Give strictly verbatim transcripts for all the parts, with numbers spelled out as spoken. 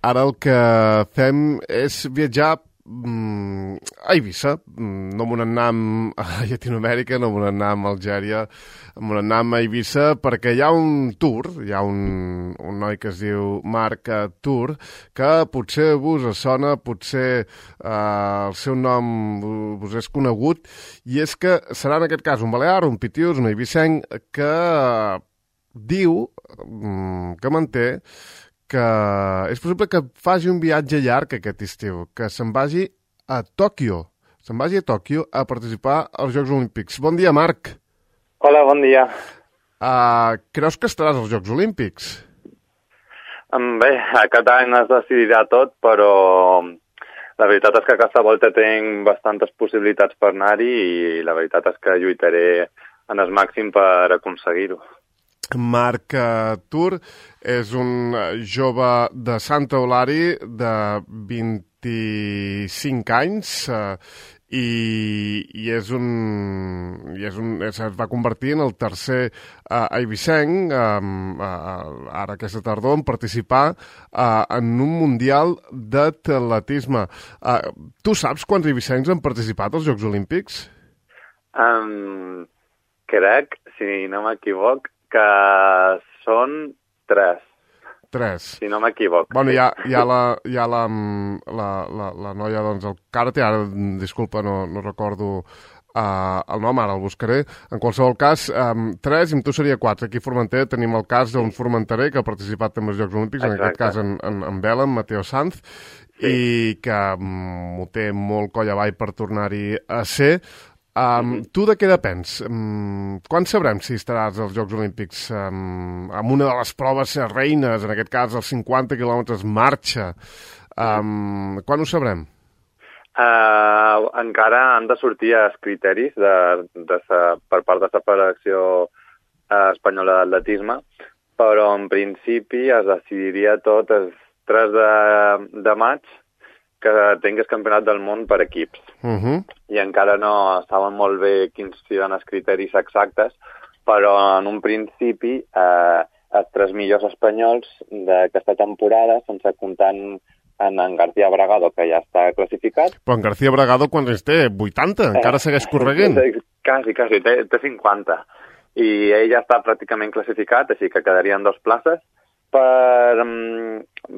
ara el que fem és viatjar a Eivissa. No m'ho anam a Llatinoamèrica, no m'ho anam a Algèria, m'ho anam a Eivissa perquè hi ha un tour, hi ha un, un noi que es diu Marc Tour, que potser vos sona, potser eh, el seu nom vos és conegut, i és que serà en aquest cas un balear, un pitiús, un eivissenc, que diu, que manté, que és possible que faci un viatge llarg aquest estiu, que se'n vagi a Tòquio, se'n vagi a Tòquio a participar als Jocs Olímpics. Bon dia, Marc. Hola, bon dia. Uh, creus que estaràs als Jocs Olímpics? Bé, aquest any es decidirà tot, però la veritat és que aquesta volta tinc bastantes possibilitats per anar-hi i la veritat és que lluitaré en el màxim per aconseguir-ho. Marc Tour és un jove de Sant Eulàri de vint-i-cinc anys eh, i, i és un, i és un es va convertir en el tercer eh, eivissenc eh, eh, ara aquesta tardor en participar eh, en un mundial d'atletisme. Eh, tu saps quants eivissencs han participat als Jocs Olímpics? Um, crec, si no m'equivoc, que són tres. Tres. Si no m'equivoc. Bueno, hi ha, hi ha, la, hi ha la, la, la, la noia, doncs, el karate, ara, disculpa, no, no recordo uh, el nom, ara el buscaré. En qualsevol cas, um, tres, i amb tu seria quatre. Aquí a Formentera tenim el cas d'un formenterer que ha participat també als Jocs Olímpics, Exacte. En aquest cas en, en, en vela, en Mateo Sanz, sí. I que um, ho té molt coll avall per tornar-hi a ser. Um, mm-hmm. Tu de què depens? Um, quan sabrem si estaràs als Jocs Olímpics um, amb una de les proves reines, en aquest cas els cinquanta quilòmetres marxa? Um, quan ho sabrem? Uh, encara han de sortir els criteris de, de sa, per part de la Federació Espanyola d'Atletisme, però en principi es decidiria tot el tres de, de maig que tingués campionat del món per equips. Uh-huh. I encara no saben molt bé quins seran els criteris exactes, però en un principi eh, els tres millors espanyols d'aquesta temporada, sense comptar en, en García Bragado, que ja està classificat. Però en García Bragado quants anys té? vuitanta? Encara eh, segueix correguent? Quasi, quasi, té, té cinquanta. I ell ja està pràcticament classificat, així que quedarien dos places per,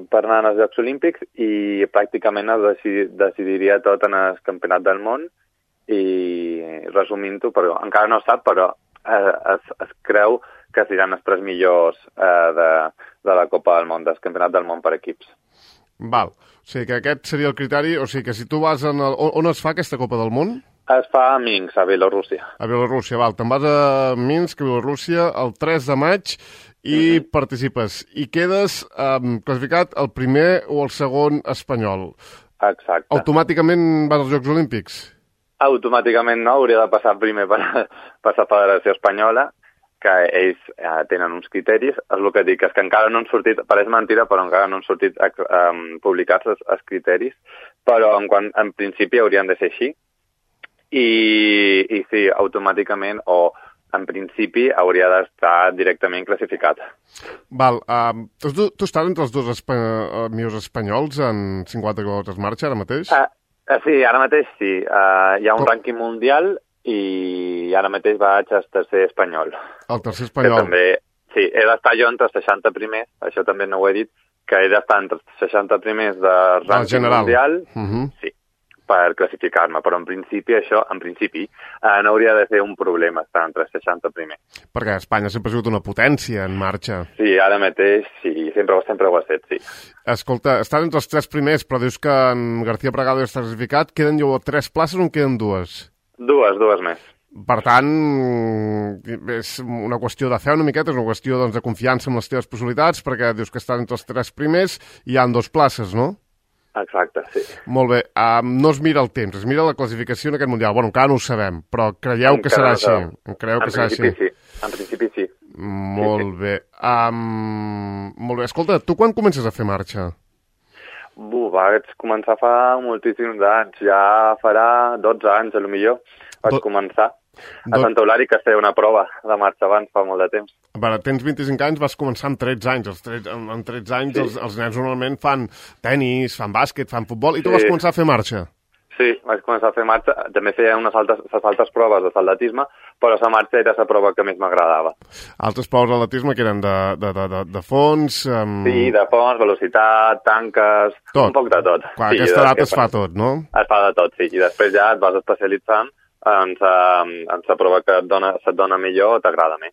per anar als Jocs Olímpics i pràcticament es decid, decidiria tot en el Campionat del Món i resumint-ho, però encara no es sap, però eh, es, es creu que seran els tres millors eh, de, de la Copa del Món, del Campionat del Món per equips. Val, o sigui que aquest seria el criteri, o sigui que si tu vas en el... On es fa aquesta Copa del Món? Es fa a Minsk, a Bielorússia. A Bielorússia, val. Te'n vas a Minsk, a Bielorússia, el tres de maig i mm-hmm. participes. I quedes um, classificat el primer o el segon espanyol. Exacte. Automàticament vas als Jocs Olímpics? Automàticament no, hauria de passar primer per, per la Federació Espanyola, que ells eh, tenen uns criteris. És el que dic, és que encara no han sortit, pareix mentira, però encara no han sortit um, publicats els, els criteris, però en, quan, en principi haurien de ser així. I, i sí, automàticament o en principi hauria d'estar directament classificat. Val, uh, tu, tu estàs entre els dos espa uh, millors espanyols en cinquanta quilòmetres marxa ara mateix? Uh, uh, sí, ara mateix sí. Uh, hi ha un Com? rànquing mundial i ara mateix vaig al tercer espanyol. El tercer espanyol. Que també, sí, he d'estar jo entre els seixanta primers, això també no ho he dit, que he d'estar entre els seixanta primers de rànquing mundial, uh-huh. sí, per classificar-me, però en principi això, en principi, eh, no hauria de ser un problema estar entre els seixanta primers. Perquè Espanya sempre ha sigut una potència en marxa. Sí, ara mateix sí, sempre, sempre ho ha estat, sí. Escolta, estan entre els tres primers, però dius que en García Bragado ja està classificat, queden llavors tres places o en queden dues? Dues, dues més. Per tant, és una qüestió de fe una miqueta, és una qüestió doncs, de confiança en les teves possibilitats, perquè dius que estan entre els tres primers i hi ha dos places, no? Exacte, sí. Molt bé. Um, no es mira el temps, es mira la classificació en aquest Mundial. Bueno, encara no ho sabem, però creieu que serà així? Creieu que serà així? Sí. En principi sí. Molt sí, bé. Um, molt bé. Escolta, tu quan comences a fer marxa? Bu, vaig començar fa moltíssims anys. Ja farà dotze anys, a lo millor, vaig Do... començar. A Sant Eulàri, que es feia una prova de marxa abans, fa molt de temps. A veure, tens vint-i-cinc anys, vas començar amb tretze anys. Els tretze, amb tretze anys sí. els, els nens normalment fan tenis, fan bàsquet, fan futbol, i tu sí. vas començar a fer marxa. Sí, vaig començar a fer marxa. També feia unes altres, altres proves de saldatisme, però la marxa era la prova que més m'agradava. Altres proves d'atletisme que eren de, de, de, de fons... Um... Sí, de fons, velocitat, tanques, tot. Un poc de tot. Quan sí, aquesta edat es fa tot, no? Es fa de tot, sí. I després ja et vas especialitzant en la prova que et dona, se't dona millor o t'agrada més.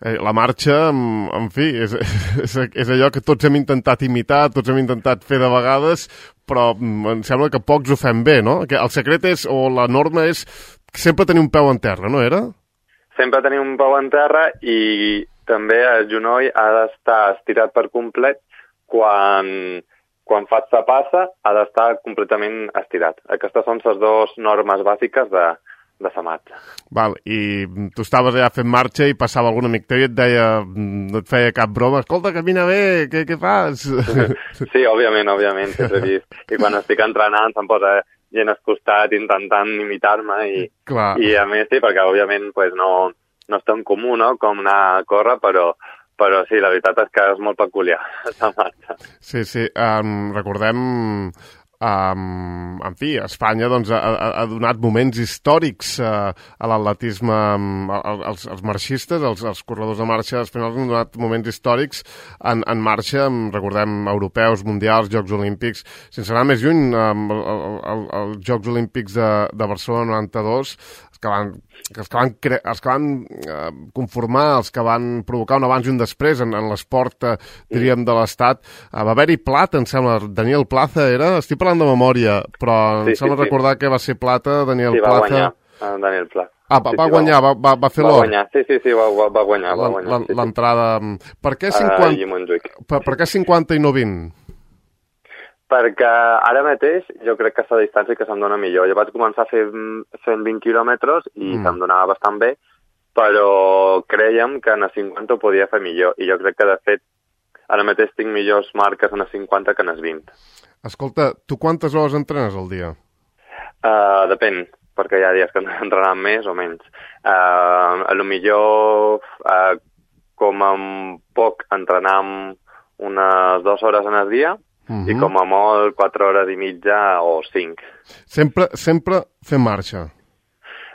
La marxa, en fi, és, és, és allò que tots hem intentat imitar, tots hem intentat fer de vegades, però em sembla que pocs ho fem bé, no? Que el secret és, o la norma és, sempre tenir un peu en terra, no era? Sempre tenir un peu en terra i també el genoll ha d'estar estirat per complet quan, quan fas la passa, ha d'estar completament estirat. Aquestes són les dues normes bàsiques de, de la marxa. Val, i tu estaves allà fent marxa i passava algun amic teu i et deia, no et feia cap broma, escolta, camina bé, què, què fas? Sí, òbviament, òbviament, sempre he vist. I quan estic entrenant se'm posa gent al costat intentant imitar-me i, i a més sí, perquè òbviament pues, no, no és tan comú, no?, com anar a córrer, però però sí, la veritat és que és molt peculiar, la marxa. Sí, sí, um, recordem... Um, en fi, Espanya doncs, ha, ha donat moments històrics uh, a l'atletisme, um, als, als marxistes, als, als corredors de marxa espanyols han donat moments històrics en, en marxa, um, recordem, europeus, mundials, Jocs Olímpics. Sense anar més lluny, um, els Jocs Olímpics de, de Barcelona noranta-dos, que van, els que van, cre... els que van eh, conformar, els que van provocar un abans i un després en, en l'esport, eh, diríem, de l'Estat. Eh, va haver-hi plata, em sembla, Daniel Plaza era? Estic parlant de memòria, però sí, em sembla sí, recordar sí. que va ser plata, Daniel sí, va Plaza. Guanyar, uh, Daniel Plaza. Ah, va, sí, va sí, guanyar, va, va, va fer l'or. Va guanyar, sí, sí, sí, va, va guanyar. Va guanyar sí, l'entrada... Sí. Per què cinquanta... Uh, per, per què cinquanta i no vint? Perquè ara mateix jo crec que és la distància que se'm dona millor. Jo vaig començar a fer cent vint quilòmetres i mm. se'm donava bastant bé, però creiem que en a cinquanta ho podia fer millor. I jo crec que, de fet, ara mateix tinc millors marques en a cinquanta que en a vint. Escolta, tu quantes hores entrenes al dia? Uh, depèn, perquè hi ha dies que entrenem més o menys. Uh, a lo millor, uh, com a poc, entrenem unes dues hores en el dia, Uh-huh. i com a molt quatre hores i mitja o cinc. Sempre, sempre fem marxa?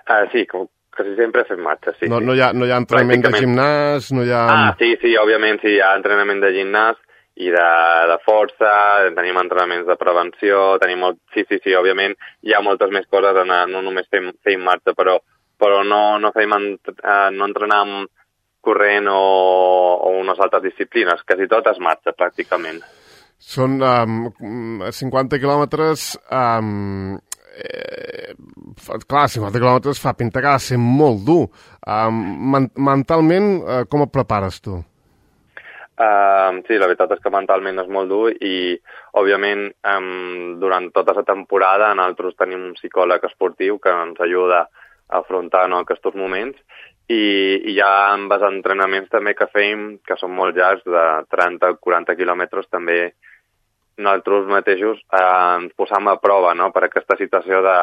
Uh, sí, com, quasi sempre fem marxa, sí. No, sí. no, hi ha, no hi ha entrenament de gimnàs, no hi ha... Ah, sí, sí, òbviament sí, hi ha entrenament de gimnàs i de, de força, tenim entrenaments de prevenció, tenim molt... Sí, sí, sí, òbviament hi ha moltes més coses, en, no només fem, fem marxa, però, però no, no, fem, uh, no entrenem corrent o, o unes altres disciplines, quasi tot es marxa, pràcticament. Són um, cinquanta quilòmetres... Um, eh, clar, cinquanta quilòmetres fa pinta que ha de ser molt dur. Um, men mentalment, uh, com et prepares tu? Uh, sí, la veritat és que mentalment és molt dur i, òbviament, um, durant tota la temporada nosaltres tenim un psicòleg esportiu que ens ajuda a afrontar, no, aquests moments i, i hi ha amb els entrenaments també que fem, que són molt llargs, de trenta a quaranta quilòmetres, també nosaltres mateixos eh, ens posam a prova, no?, per aquesta situació de,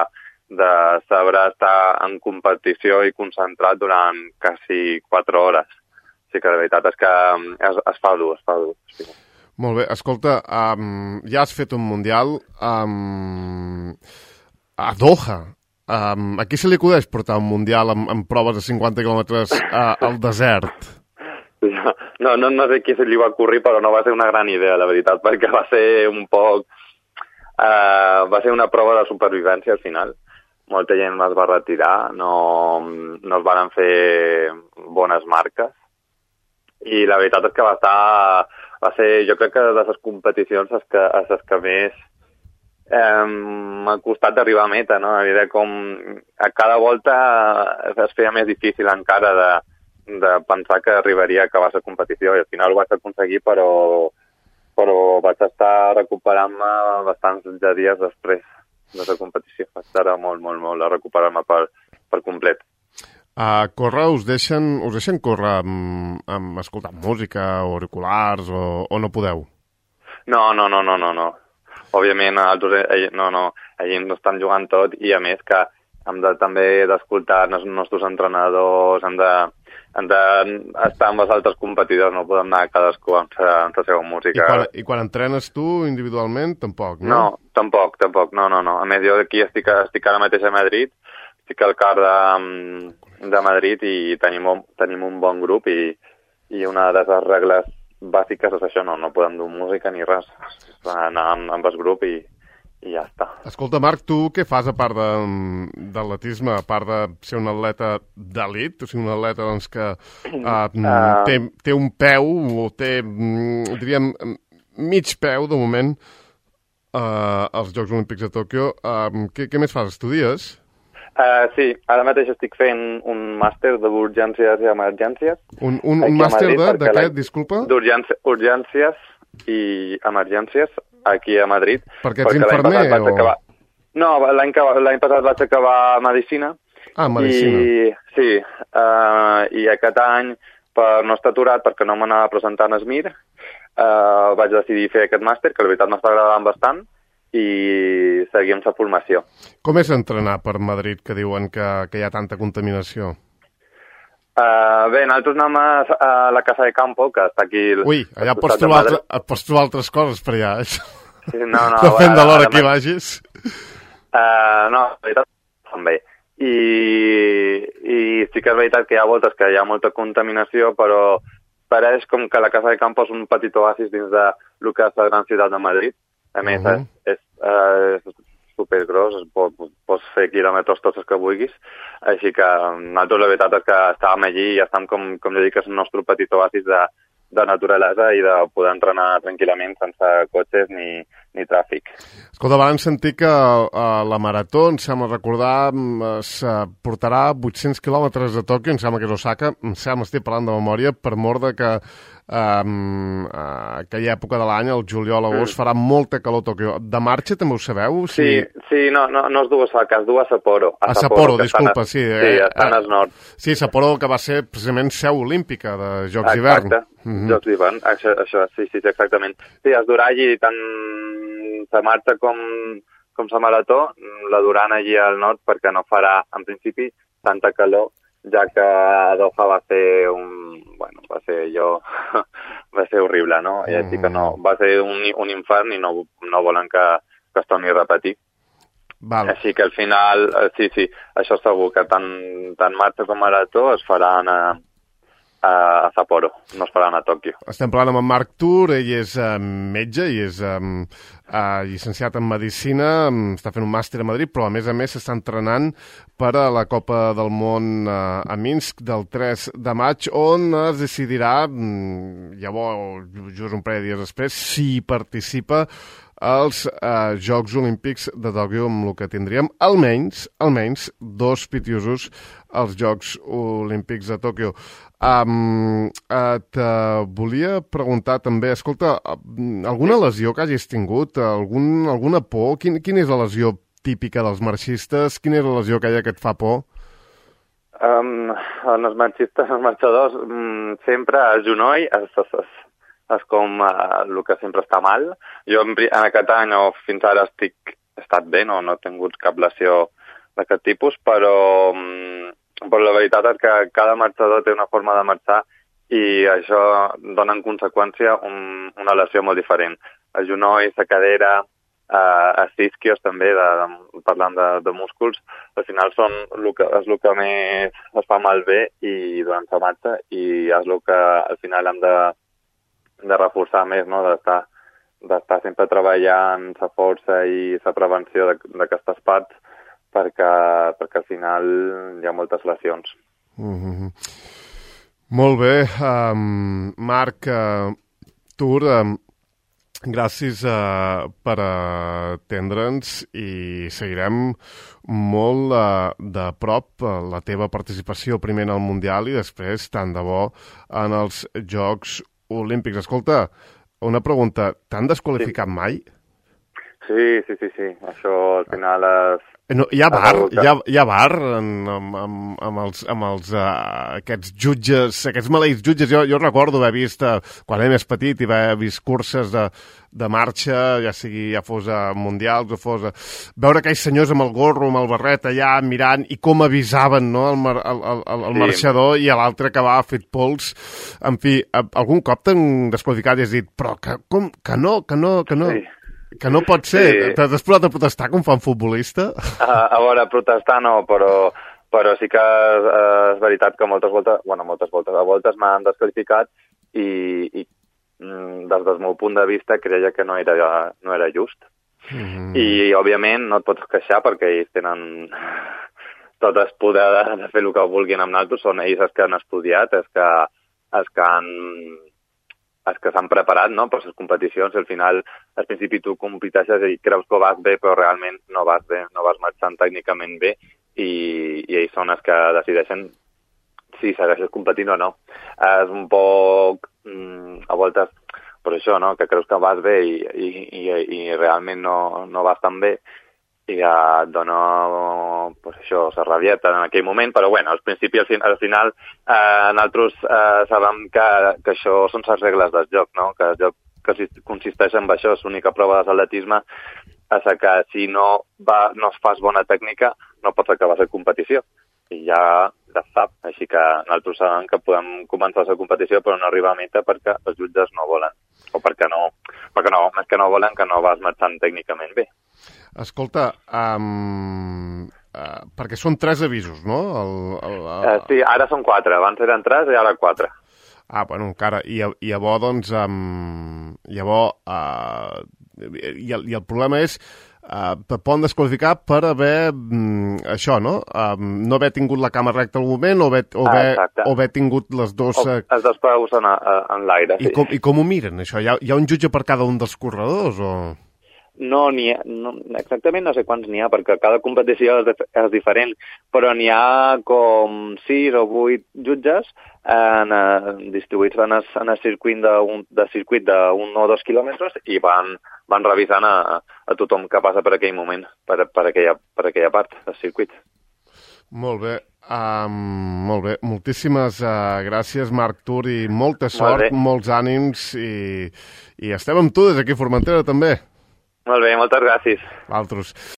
de saber estar en competició i concentrat durant quasi quatre hores. Sí que la veritat és que es, es fa dur, es fa dur. Sí. Molt bé, escolta, um, ja has fet un mundial um, a Doha. Um, a qui se li acudeix portar un mundial amb, amb proves de cinquanta quilòmetres uh, al desert? No, no, no sé qui se li va ocórrer, però no va ser una gran idea, la veritat, perquè va ser un poc... Uh, va ser una prova de supervivència al final. Molta gent es va retirar, no, no es van fer bones marques. I la veritat és que va estar... Va ser, jo crec que de les competicions és que, és que més eh, m'ha costat d'arribar a meta, no? A veure com a cada volta es feia més difícil encara de de pensar que arribaria a acabar la competició i al final ho vaig aconseguir, però, però vaig estar recuperant-me bastants de dies després de la competició. Vaig estar molt, molt, molt a recuperar-me per, per complet. A córrer us deixen, us deixen córrer amb, amb escoltant música o auriculars o, o no podeu? No, no, no, no, no, no. Òbviament, altres, no, no, ells no estan jugant tot i a més que hem de també d'escoltar els nostres entrenadors, hem de, hem d'estar amb els altres competidors, no podem anar cadascú amb la, amb la seva música. I quan, I quan entrenes tu individualment, tampoc, no? No, tampoc, tampoc, no, no, no. A més, jo aquí estic, estic ara mateix a Madrid, estic al car de, de Madrid i tenim un, tenim un bon grup i, i una de les regles bàsiques és això, no, no podem dur música ni res. Anar amb, amb el grup i, i ja està. Escolta, Marc, tu què fas a part de, d'atletisme, a part de ser un atleta d'elit, o sigui, un atleta doncs, que uh, uh... té, té un peu, o té, diríem, mig peu, de moment, uh, als Jocs Olímpics de Tòquio. Uh, què, què més fas? Estudies? Uh, sí, ara mateix estic fent un màster d'urgències i emergències. Un, un, un màster de, de què, disculpa? D'urgències i emergències aquí a Madrid. Perquè ets infermer o...? Acabar... No, l'any, l'any passat vaig acabar Medicina. Ah, Medicina. I, sí, uh, i aquest any, per no estar aturat, perquè no m'anava presentant a Esmir, uh, vaig decidir fer aquest màster, que la veritat m'està agradant bastant, i seguir amb la formació. Com és entrenar per Madrid, que diuen que, que hi ha tanta contaminació? Uh, bé, nosaltres anem a, a la Casa de Campo, que està aquí... Ui, allà pots trobar, altre, pots trobar altres coses per allà, això. Sí, no, no. Depèn de l'hora que hi vagis. Uh, no, la veritat, també. I, I sí que és veritat que hi ha voltes que hi ha molta contaminació, però pareix com que la Casa de Campo és un petit oasis dins de lo que és la gran ciutat de Madrid. A més, uh -huh. és, és, uh, supergros, pots, pots fer quilòmetres tots els que vulguis, així que nosaltres la veritat és que estàvem allí i estàvem, com, com jo dic, és el nostre petit oasis de, de naturalesa i de poder entrenar tranquil·lament sense cotxes ni, ni tràfic. Escolta, vam sentir que uh, la marató, em sembla recordar, es uh, portarà vuit-cents quilòmetres de Tòquio, em sembla que és Osaka, em sembla, estic parlant de memòria, per mort de que um, uh, aquella època de l'any, el juliol, agost, mm. farà molta calor a Tòquio. De marxa també ho sabeu? Si... Sí, sí, no, no, no es du a Osaka, es du a Sapporo. A, a Sapporo, disculpa, a... sí. Sí, eh, estan al nord. Sí, Sapporo, que va ser precisament seu olímpica de Jocs d'hivern. Exacte, mm-hmm. Jocs d'hivern, això, això, sí, sí, exactament. Sí, es durà allí tant la marxa com, com la marató, la duran allí al nord perquè no farà, en principi, tanta calor, ja que a Doha va ser un... Bueno, va ser allò... va ser horrible, no? I així que no, va ser un, un infern i no, no volen que, que es torni a repetir. Val. Així que al final, sí, sí, això segur que tant, tant marxa com marató es faran a, a Sapporo, no es faran a Tòquio. Estem parlant amb en Marc Tur, ell és uh, metge i és um, uh, llicenciat en Medicina, um, està fent un màster a Madrid, però a més a més s'està entrenant per a la Copa del Món uh, a Minsk del tres de maig, on es decidirà, um, llavors, just un parell de dies després, si participa als uh, Jocs Olímpics de Tòquio, amb el que tindríem almenys, almenys dos pitiusos als Jocs Olímpics de Tòquio. Um, et uh, volia preguntar també, escolta, alguna lesió que hagis tingut, algun, alguna por? Quin, quina és la lesió típica dels marxistes? Quina és la lesió aquella que et fa por? Um, els marxistes, els marxadors, um, sempre el genoll és, és, és, és com uh, el que sempre està mal. Jo en, en aquest any o fins ara estic, he estat bé, no, no he tingut cap lesió d'aquest tipus, però... Um, però la veritat és que cada marxador té una forma de marxar i això dona en conseqüència un, una lesió molt diferent. El genoll, la cadera, eh, els isquios també, de, de, parlant de, de músculs, al final són el que, és el que més es fa malbé i durant la marxa i és el que al final hem de, de reforçar més, no? d'estar, d'estar sempre treballant la força i la prevenció d'aquestes parts perquè, perquè al final hi ha moltes lesions. Mm-hmm. Molt bé. Um, Marc, uh, Tur, um, gràcies uh, per atendre'ns i seguirem molt uh, de prop uh, la teva participació primer en el Mundial i després, tant de bo, en els Jocs Olímpics. Escolta, una pregunta. T'han desqualificat sí. mai? Sí, sí, sí, sí. Això al final és... No, hi ha bar, hi ha, hi ha bar en, amb, amb, amb els, amb els uh, aquests jutges, aquests maleïts jutges. Jo, jo recordo haver vist, uh, quan era més petit, i haver vist curses de, de marxa, ja sigui, ja fos a mundials o fos a... Veure aquells senyors amb el gorro, amb el barret allà, mirant, i com avisaven, no?, el, mar, el, el, el, el sí. marxador, i l'altre que va fet pols. En fi, algun cop t'han desqualificat i has dit, però que, com, que no, que no, que no... Sí. Que no pot ser. Sí. T'has posat a protestar com fa un futbolista? A, a veure, protestar no, però, però sí que és, és veritat que moltes voltes, bueno, moltes voltes, a voltes m'han desqualificat i, i des del meu punt de vista creia que no era, no era just. Mm. I, òbviament, no et pots queixar perquè ells tenen tot el poder de, de fer el que vulguin amb nosaltres. Són ells els que han estudiat, els que, els que han... els que s'han preparat, no?, per les competicions. Al final, al principi tu competeixes i creus que vas bé, però realment no vas bé, no vas marxant tècnicament bé, i, i ells són els que decideixen si segueixes competint o no. És un poc, mm, a voltes, per això, no?, que creus que vas bé i, i, i, i realment no, no vas tan bé, i que et dona, pues això, la rabieta en aquell moment, però bueno, al principi, al, fin, al final, eh, nosaltres eh, sabem que, que això són les regles del joc, no?, que el joc que consisteix en això, és l'única prova d'atletisme, és que si no, va, no es fas bona tècnica, no pots acabar la competició, i ja la sap, així que nosaltres sabem que podem començar la competició però no arribar a meta perquè els jutges no volen, o perquè no, perquè no, més que no volen que no vas marxant tècnicament bé. Escolta, um, uh, perquè són tres avisos, no? El, el, el... Uh, sí, ara són quatre. Abans eren tres i ara quatre. Ah, bueno, encara. I, i llavors, doncs, um, llavors, uh, i, el, i el problema és uh, te poden desqualificar per haver, um, això, no? Um, no haver tingut la cama recta al moment o haver, o haver, ah, o haver tingut les dos... Uh... O, els dos peus en, en l'aire, sí. I com, I com ho miren, això? Hi ha, hi ha un jutge per cada un dels corredors, o...? No, n'hi ha, no, exactament no sé quants n'hi ha, perquè cada competició és, és diferent, però n'hi ha com sis o vuit jutges en, uh, distribuïts en el, en el circuit d'un de circuit d'un o dos quilòmetres i van, van revisant a, a tothom que passa per aquell moment, per, per, aquella, per aquella part del circuit. Molt bé, um, molt bé. Moltíssimes uh, gràcies, Marc Tur, i molta sort, Molt molts ànims, i, i estem amb tu des d'aquí a Formentera, també. Molt bé, moltes gràcies. Altres.